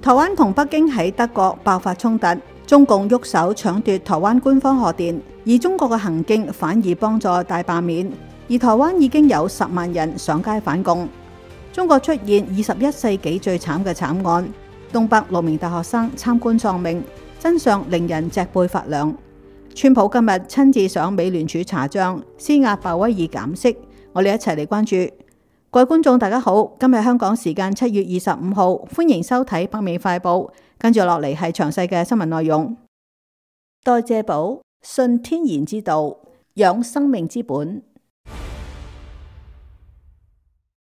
台灣同北京喺德國爆發衝突，中共喐手搶奪台灣官方賀電，而中國嘅行徑反而幫助大罷免，而台灣已經有10萬人上街反共。中國出現21世紀最慘嘅慘案，東北6名大學生參觀喪命，真相令人脊背發涼。川普今日親自上美聯儲查賬，施壓鮑威爾減息。我哋一齊嚟關注。各位觀眾大家好，今日香港時間7月25號，歡迎收睇北美快報。跟住落嚟係詳細嘅新聞內容。代謝寶，信天然之道，養生命之本。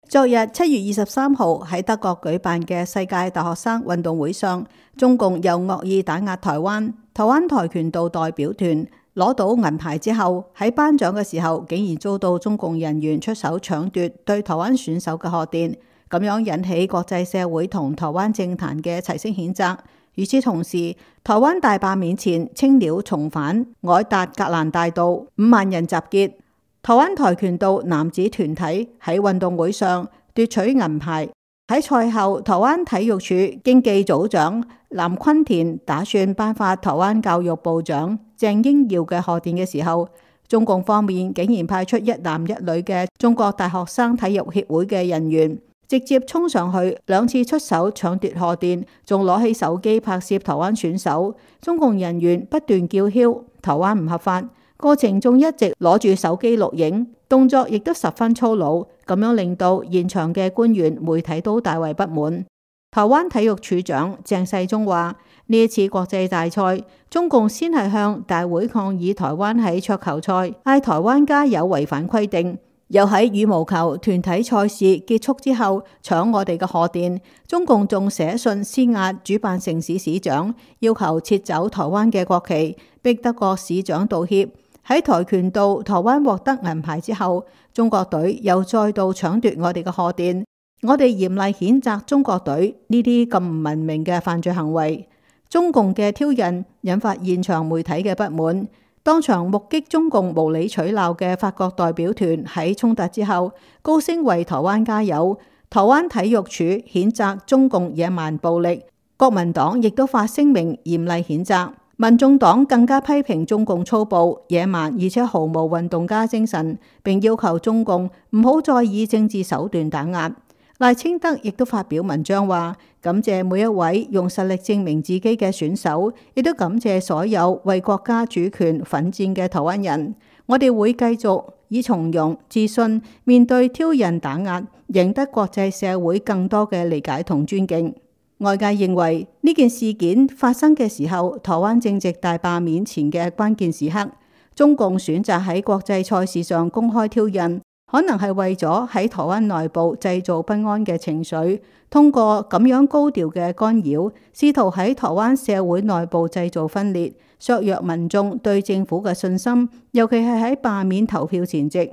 昨日7月23號喺德國舉辦嘅世界大學生運動會上，中共又惡意打壓台灣。台灣跆拳道代表團攞到銀牌之後，喺頒獎嘅時候竟然遭到中共人員出手搶奪對台灣選手嘅賀電，咁樣引起國際社會同台灣政壇嘅齊聲譴責。與此同時，台灣大罷免前，青鳥重返凱達格蘭大道，5萬人集結。台灣跆拳道男子團體喺運動會上奪取銀牌。喺賽後，台灣體育署經技組長藍坤田打算頒發台灣教育部長鄭英耀嘅賀電嘅時候，中共方面竟然派出一男一女嘅中國大學生體育協會嘅人員，直接衝上去2次出手搶奪賀電，仲攞起手機拍攝台灣選手。中共人員不斷叫囂台灣唔合法，過程仲一直攞住手機錄影，動作亦都十分粗魯，咁樣令到現場嘅官員、媒體都大為不滿。台灣體育處長鄭世忠話：呢一次國際大賽，中共先係向大會抗議台灣喺桌球賽嗌台灣加油違反規定，又喺羽毛球團體賽事結束之後搶我哋嘅賀電。中共仲寫信施壓主辦城市市長，要求撤走台灣嘅國旗，逼德國市長道歉。喺跆拳道台灣獲得銀牌之後，中國隊又再度搶奪我哋嘅賀電。我哋嚴厲譴責中國隊呢啲咁唔文明嘅犯罪行為。中共嘅挑釁引發現場媒體嘅不滿。當場目擊中共無理取鬧嘅法國代表團喺衝突之後高聲為台灣加油。台灣體育署譴責中共野蠻暴力，國民黨亦都發聲明嚴厲譴責。民眾黨更加批評中共粗暴、野蠻而且毫無運動家精神，並要求中共唔好再以政治手段打壓。賴清德亦都發表文章話，感謝每一位用實力證明自己嘅選手，亦都感謝所有為國家主權奮戰嘅台灣人。我哋會繼續以從容、自信面對挑釁打壓，贏得國際社會更多嘅理解同尊敬。外界認為呢件事件發生嘅時候，台灣正值大罷免前嘅關鍵時刻，中共選擇喺國際賽事上公開挑釁，可能係為咗喺台灣內部製造不安嘅情緒，通過咁樣高調嘅干擾，試圖喺台灣社會內部製造分裂，削弱民眾對政府嘅信心，尤其係喺罷免投票前夕。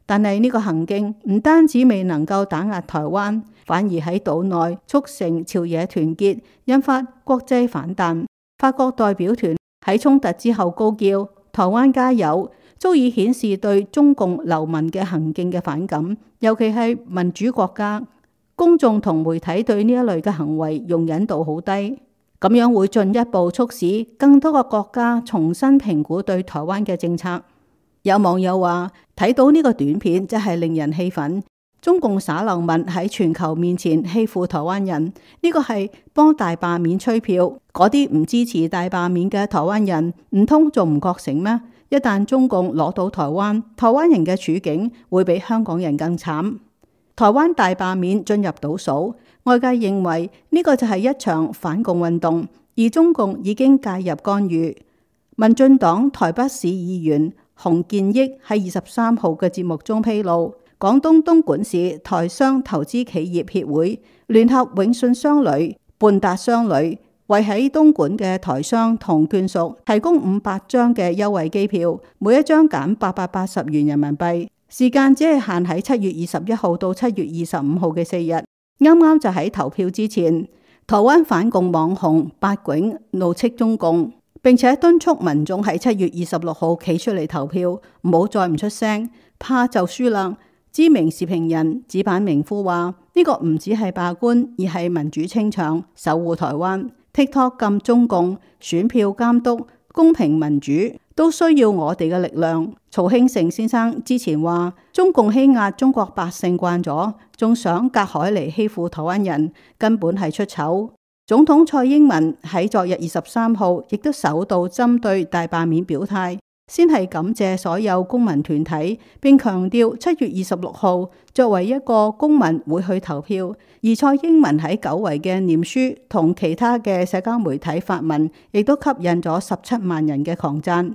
但係呢個行徑唔單止未能夠打壓台灣，反而喺島內促成朝野團結，引發國際反彈。法國代表團喺衝突之後高叫台灣加油，足以顯示對中共流氓嘅行徑嘅反感，尤其係民主國家，公眾同媒體對呢一類嘅行為容忍度好低，咁樣會進一步促使更多嘅國家重新評估對台灣嘅政策。有網友話睇到呢個短片真係令人氣憤，中共耍流氓喺全球面前欺負台灣人，呢個係幫大罷免吹票。嗰啲唔支持大罷免嘅台灣人唔通仲唔覺醒咩？一旦中共攞到台灣，台灣人嘅處境會比香港人更慘。台灣大罷免進入倒數，外界認為呢個就係一場反共運動，而中共已經介入干預。民進黨台北市議員洪建益喺23號嘅節目中披露，廣東東莞市台商投資企業協會聯合永信商旅、半達商旅，為喺東莞嘅台商同眷屬提供500張嘅優惠機票，每一張減880元人民幣，時間只係限喺7月21號到7月25號嘅4日。啱啱就喺投票之前，台灣反共網紅八囧怒斥中共，並且敦促民眾喺7月26號企出嚟投票，唔好再唔出聲，怕就輸啦。知名時評人紙板明夫話：呢個唔只係罷官，而係民主清場，守護台灣。TikTok 禁中共，選票監督，公平民主，都需要我哋嘅力量。曹興誠先生之前話：中共欺壓中國百姓慣咗，仲想隔海嚟欺負台灣人，根本係出醜。總統蔡英文喺昨日23號亦都首度針對大罷免表態。先係感謝所有公民團體，並強調7月26號作為一個公民會去投票。而蔡英文喺久違嘅念書同其他嘅社交媒體發文，亦都吸引咗17萬人嘅狂讚。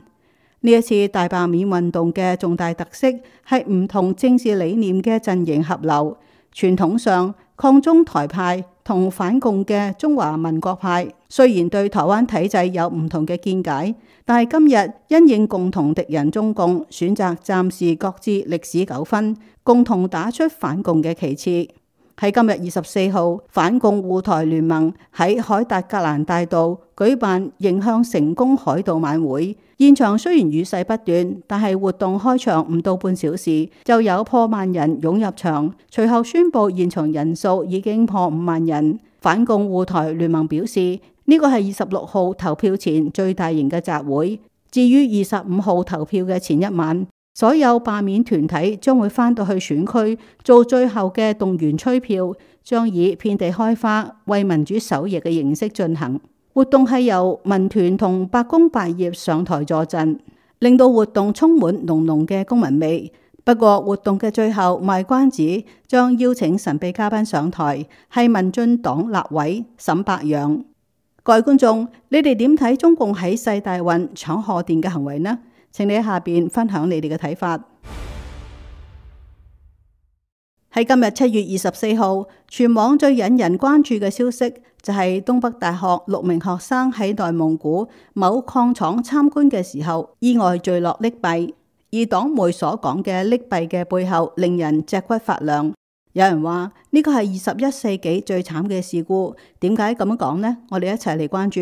呢一次大罷免運動嘅重大特色係唔同政治理念嘅陣營合流。傳統上，抗中台派同反共嘅中華民國派雖然對台灣體制有唔同嘅見解，但係今日因應共同敵人中共，選擇暫時擱置歷史糾紛，共同打出反共嘅旗幟。喺今日24號，反共護台聯盟喺凱達格蘭大道舉辦迎向成功凱道晚會，現場雖然雨勢不斷，但係活動開場唔到半小時就有破萬人湧入場，隨後宣布現場人數已經破5萬人。反共護台聯盟表示，呢個係26號投票前最大型嘅集會。至於25號投票嘅前一晚，所有罷免團體將會返到去選區做最後嘅動員催票，將以遍地開花為民主守夜嘅形式進行。活動係由民團同百工百業上台助陣，令到活動充滿濃濃嘅公民味。不過活動嘅最後賣關子，將邀請神秘嘉賓上台，係民進黨立委沈伯洋。各位觀眾，你哋點睇中共喺世大運搶賀電嘅行為呢？請你喺下邊分享你哋嘅睇法。喺今日7月24號，全網最引人關注嘅消息就係東北大學6名學生喺內蒙古某礦廠參觀嘅時候意外墜落溺斃。而黨媒所講嘅溺斃嘅背後，令人脊骨發涼。有人話呢個係21世紀最慘嘅事故。點解咁樣講呢？我哋一齊嚟關注。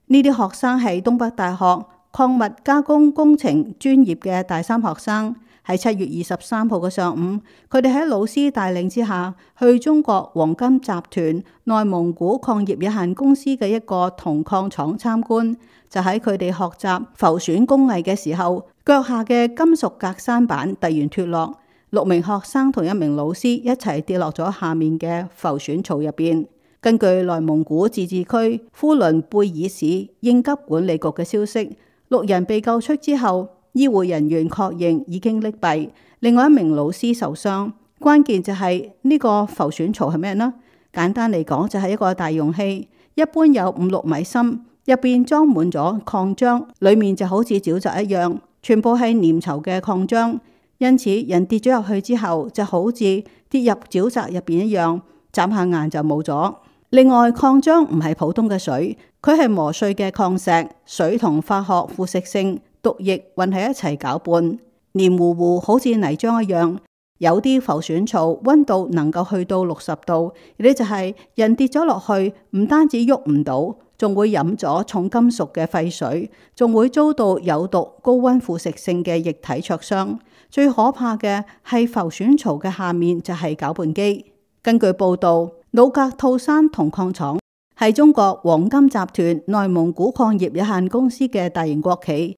呢啲學生係東北大學礦物加工工程專業嘅大三學生。喺7月23號嘅上午，佢哋喺老師帶領之下，去中國黃金集團內蒙古礦業有限公司嘅一個銅礦廠參觀。就喺佢哋學習浮選工藝嘅時候，腳下嘅金屬隔山板突然脫落，6名學生同1名老師一齊跌落咗下面嘅浮選槽入邊。根據內蒙古自治區呼倫貝爾市應急管理局嘅消息，6人被救出之後，醫護人員確認已經溺斃，另外1名老師受傷。關鍵就係呢個浮選槽係咩呢？簡單嚟講就係一個大容器，一般有5-6米深，入邊裝滿咗礦漿，裏面就好似沼澤一樣，全部係粘稠嘅礦漿。因此人跌咗入去之後，就好似跌入沼澤入邊一樣，眨下眼就冇咗。另外，礦漿唔係普通嘅水，佢係磨碎嘅礦石，水同化學腐蝕性毒液混喺一齊攪拌，黏糊糊好似泥漿一樣。有啲浮選槽溫度能夠去到60度，亦就係人跌咗落去，唔單止喐唔到，仲會飲咗重金屬嘅廢水，仲會遭到有毒高溫腐蝕性嘅液體灼傷。最可怕嘅係浮選槽嘅下面就係攪拌機。根據報道，努格吐山銅礦廠係中國黃金集團內蒙古礦業有限公司嘅大型國企。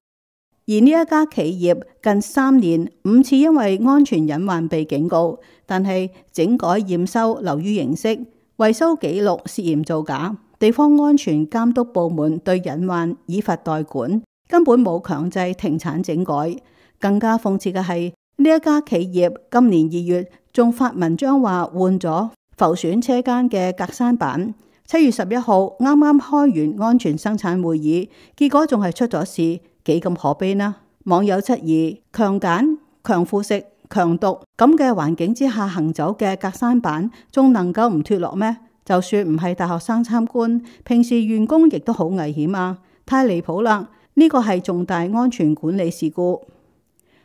而呢一家企業近3年5次因為安全隱患被警告，但係整改驗收流於形式，維修記錄涉嫌造假，地方安全監督部門對隱患以罰代管，根本冇強制停產整改。更加諷刺嘅係，呢一家企業今年2月仲發文章話換咗浮選車間嘅隔山板。7月11號啱啱開完安全生產會議，結果仲係出咗事。幾咁可悲呢？網友質疑強鹼、強腐蝕、強毒咁嘅環境之下行走嘅隔山板，仲能夠唔脫落咩？就算唔係大學生參觀，平時員工亦都好危險啊！太離譜啦！呢個係重大安全管理事故。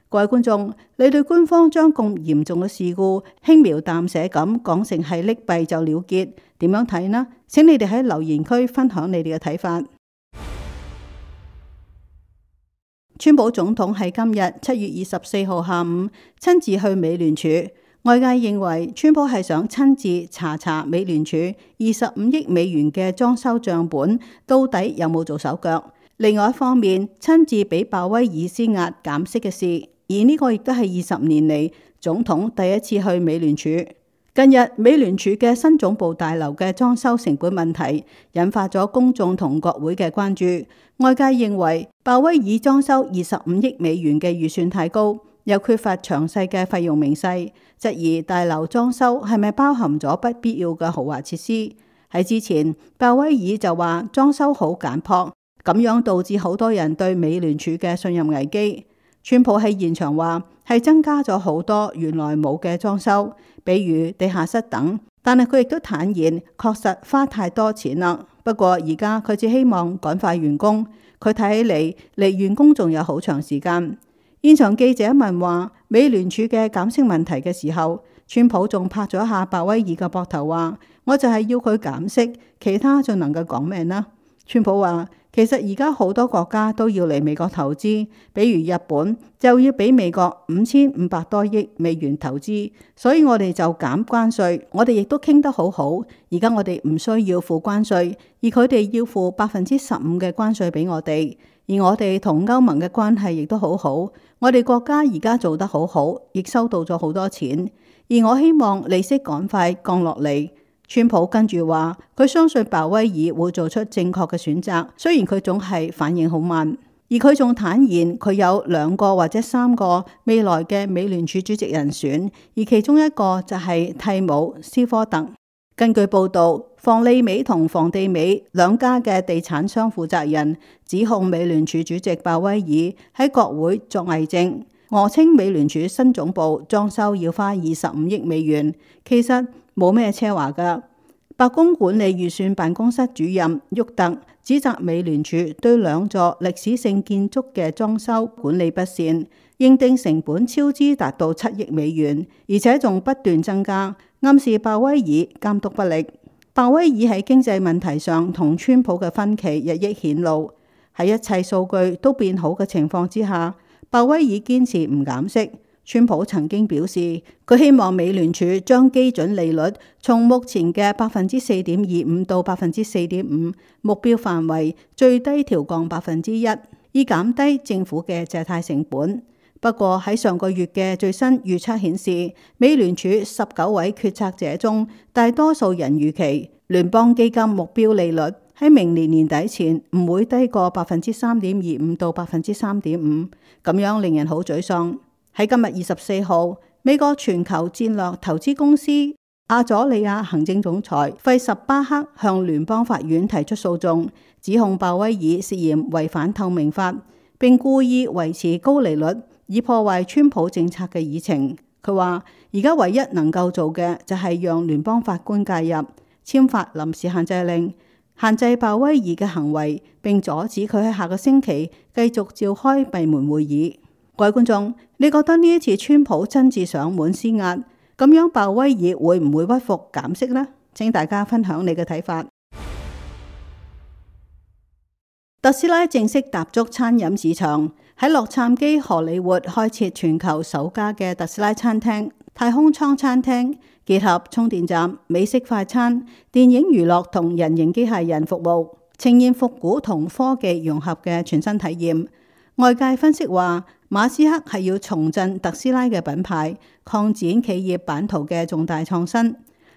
各位觀眾，你對官方將咁嚴重嘅事故輕描淡寫咁講成係溺斃就了結，點樣睇呢？請你哋喺留言區分享你哋嘅睇法。川普總統喺今日7月24號下午親自去美聯儲，外界認為川普係想親自查美聯儲25億美元嘅裝修賬本到底有冇做手腳。另外一方面，親自俾鮑威爾施壓減息嘅事，而呢個亦都係20年嚟總統第一次去美聯儲。近日美聯儲嘅新總部大樓嘅裝修成本問題引發咗公眾同國會嘅關注，外界認為鮑威爾裝修25億美元嘅預算太高，又缺乏詳細嘅費用明細，質疑大樓裝修係咪包含咗不必要嘅豪華設施。喺之前，鮑威爾就話裝修好簡樸，咁樣導致好多人對美聯儲嘅信任危機。川普喺現場話係增加咗好多原來冇嘅裝修，比如地下室等，但係佢亦都坦言確實花太多錢啦。不過而家佢只希望趕快完工，佢睇起嚟離完工仲有好長時間。現場記者問話美聯儲嘅減息問題嘅時候，川普仲拍咗下鮑威爾嘅膊頭話：我就係要佢減息，其他仲能夠講咩呢？川普話：其實而家好多國家都要嚟美國投資，比如日本就要俾美國5500多億美元投資，所以我哋就減關稅，我哋亦都傾得好好。而家我哋唔需要付關稅，而佢哋要付15%嘅關稅俾我哋，而我哋同歐盟嘅關係亦都好好。我哋國家而家做得好好，亦收到咗好多錢，而我希望利息趕快降落嚟。川普跟住話，佢相信鮑威爾會做出正確嘅選擇，雖然佢總係反應好慢。而佢仲坦言佢有2個或者3個未來嘅美聯儲主席人選，而其中一個就係蒂姆·斯科特。根據報導，房利美同房地美兩家嘅地產商負責人指控美聯儲主席鮑威爾喺國會作偽證，訛稱美聯儲新總部裝修要花25億美元，其實冇咩奢華㗎。白宮管理預算辦公室主任沃特指責美聯儲對2座歷史性建築嘅裝修管理不善，認定成本超支達到7億美元，而且仲不斷增加，暗示鮑威爾監督不力。鮑威爾喺經濟問題上同川普嘅分歧日益顯露，喺一切數據都變好嘅情況之下，鮑威爾堅持唔減息。川普曾經表示，佢希望美聯儲將基準利率從目前嘅4.25%到4.5%目標範圍最低調降1%，以減低政府嘅借貸成本。不過喺上個月嘅最新預測顯示，美聯儲19位決策者中，大多數人預期聯邦基金目標利率喺明年年底前唔會低過3.25%到3.5%，咁樣令人好沮喪。喺今日24號，美國全球戰略投資公司阿佐利亞行政總裁費什巴克向聯邦法院提出訴訟，指控鮑威爾涉嫌違反透明法，並故意維持高利率，以破壞川普政策嘅議程。佢話：而家唯一能夠做嘅就係讓聯邦法官介入，簽發臨時限制令，限制鮑威爾嘅行為，並阻止佢喺下個星期繼續召開閉門會議。各位觀眾，你覺得呢一次川普親自上門施壓，咁樣鮑威爾會唔會屈服減息呢？請大家分享你嘅睇法。特斯拉正式踏足餐飲市場，喺洛杉磯荷里活開設全球首家嘅特斯拉餐廳——太空艙餐廳，結合充電站、美式快餐、電影娛樂同人形機械人服務，呈現復古同科技融合嘅全新體驗。外界分析話，馬斯克係要重振特斯拉嘅品牌，擴展企業版圖嘅重大創新。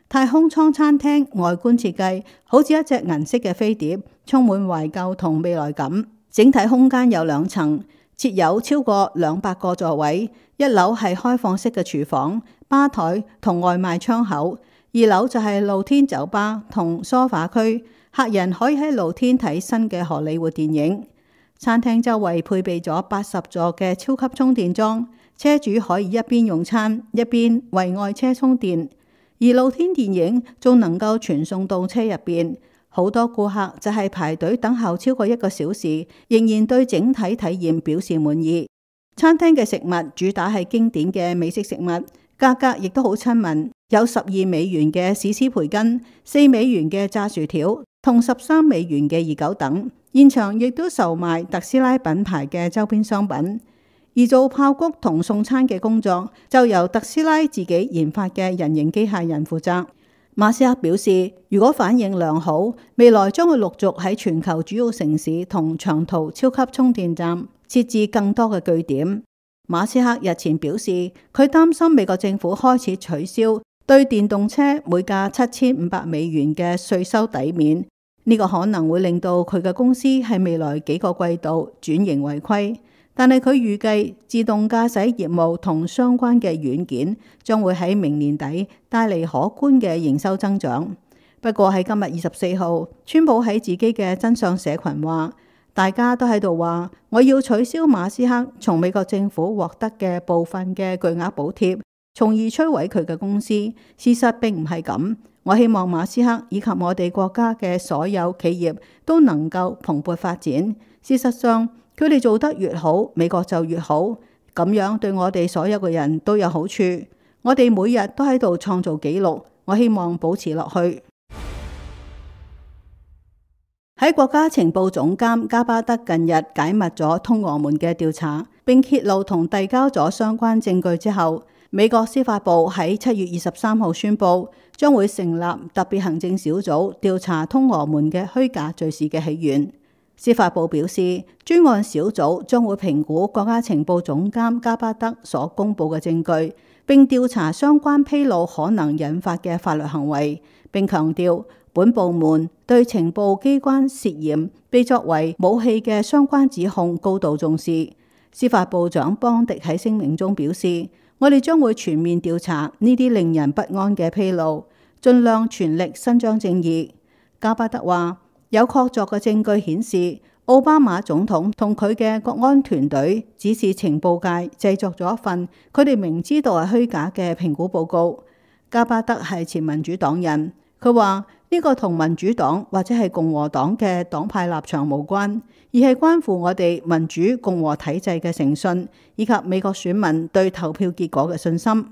太空艙餐廳外觀設計好似一隻銀色嘅飛碟，充滿懷舊同未來感。整體空間有2層，設有超過200個座位。1樓係開放式嘅廚房、吧台同外賣窗口，2樓就係露天酒吧同梳化區，客人可以喺露天睇新嘅荷里活電影。餐廳周圍配備咗80座嘅超級充電樁，車主可以一邊用餐一邊為愛車充電，而露天電影仲能夠傳送到車入邊。好多顧客就係排隊等候超過1個小時，仍然對整體體驗表示滿意。餐廳嘅食物主打係經典嘅美式食物，價格亦都好親民，有12美元嘅史詩培根、4美元嘅炸薯條同$13嘅熱狗等。現場亦都售賣特斯拉品牌嘅周邊商品。而做爆谷同送餐嘅工作就由特斯拉自己研發嘅人形機械人負責。馬斯克表示，如果反應良好，未來將會陸續喺全球主要城市同長途超級充電站設置更多嘅據點。馬斯克日前表示，佢擔心美國政府開始取消對電動車每架$7500嘅稅收抵免，呢個可能會令到佢嘅公司喺未來幾個季度轉型為虧。但係佢預計自動駕駛業務同相關嘅軟件將會喺明年底帶嚟可觀嘅營收增長。不過喺今日24號，川普喺自己嘅真相社群話，大家都喺度話我要取消馬斯克從美國政府獲得嘅部分嘅巨額補貼，從而摧毀佢嘅公司。事實並唔係咁。我希望馬斯克以及我哋國家嘅所有企業都能夠蓬勃發展。事實上，佢哋做得越好，美國就越好，咁樣對我哋所有嘅人都有好處。我哋每日都喺度創造紀錄，我希望保持落去。喺國家情報總監加巴德近日解密咗通俄門嘅調查，並揭露同遞交咗相關證據之後，美國司法部喺7月23號宣布，將會成立特別行政小組調查通俄門嘅虛假敘事嘅起源。司法部表示，專案小組將會評估國家情報總監加巴德所公布嘅證據，並調查相關披露可能引發嘅法律行為，並強調本部門對情報機關涉嫌被作為武器嘅相關指控高度重視。司法部長邦迪喺聲明中表示，我哋將會全面調查呢啲令人不安嘅披露，盡量全力伸張正義。加巴德話，有確鑿嘅證據顯示，奧巴馬總統同佢嘅國安團隊指示情報界製作咗一份佢哋明知道係虛假嘅評估報告。加巴德係前民主黨人，佢話呢個同民主黨或者係共和黨嘅黨派立場無關，而係關乎我哋民主共和體制嘅誠信，以及美國選民對投票結果嘅信心。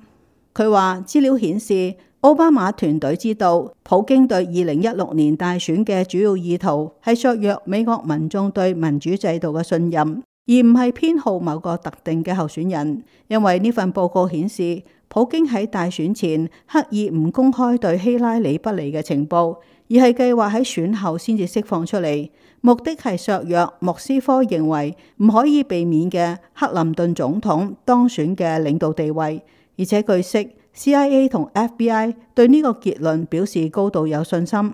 佢話資料顯示，奧巴馬團隊知道普京對2016年大選嘅主要意圖係削弱美國民眾對民主制度嘅信任，而唔係偏好某個特定嘅候選人。因為呢份報告顯示，普京喺大選前刻意唔公開對希拉里不利嘅情報，而係計劃喺選後先至釋放出嚟，目的係削弱莫斯科認為唔可以避免嘅克林頓總統當選嘅領導地位。而且據悉，CIA 同 FBI 對呢個結論表示高度有信心。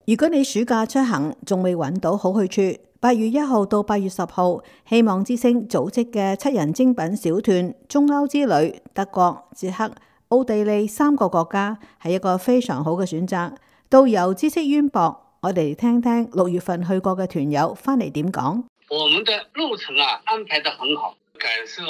如果你暑假出行仲未揾到好去處，8月1號到8月10號，希望之星組織嘅7人精品小團中歐之旅，德國、捷克、奧地利3個國家係一個非常好嘅選擇。導遊知識淵博，我哋聽聽6月份去過嘅團友翻嚟點講。我們的路程安排得很好，感受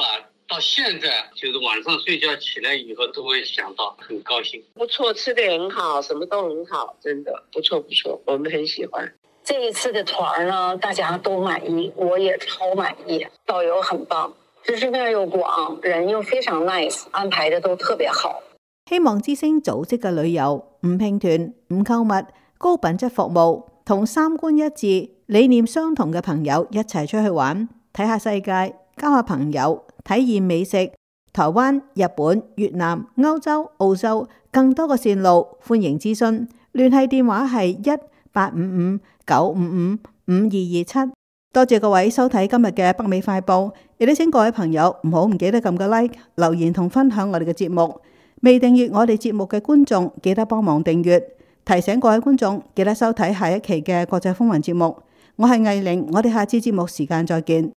到現在就是晚上睡覺起來以後都會想到，很高興。不錯，吃得很好，什麼都很好，真的不錯不錯，我們很喜歡。這一次的團呢，大家都滿意，我也超滿意。導遊很棒，知識面又廣，人又非常 nice， 安排得都特別好。希望之星組織嘅旅遊唔拼團、唔購物、高品質服務，同三觀一致、理念相同嘅朋友一齊出去玩，睇下世界，交下朋友，體驗美食，台灣、日本、越南、歐洲、澳洲更多嘅線路，歡迎諮詢。聯繫電話係1-855-955-5227。多謝各位收睇今日嘅北美快報，亦都請各位朋友唔好唔記得撳個 like、留言同分享我哋嘅節目。未訂閱我哋節目嘅觀眾，記得幫忙訂閱。提醒各位觀眾，記得收睇下一期嘅國際風雲節目。我係藝玲，我哋下次節目時間再見。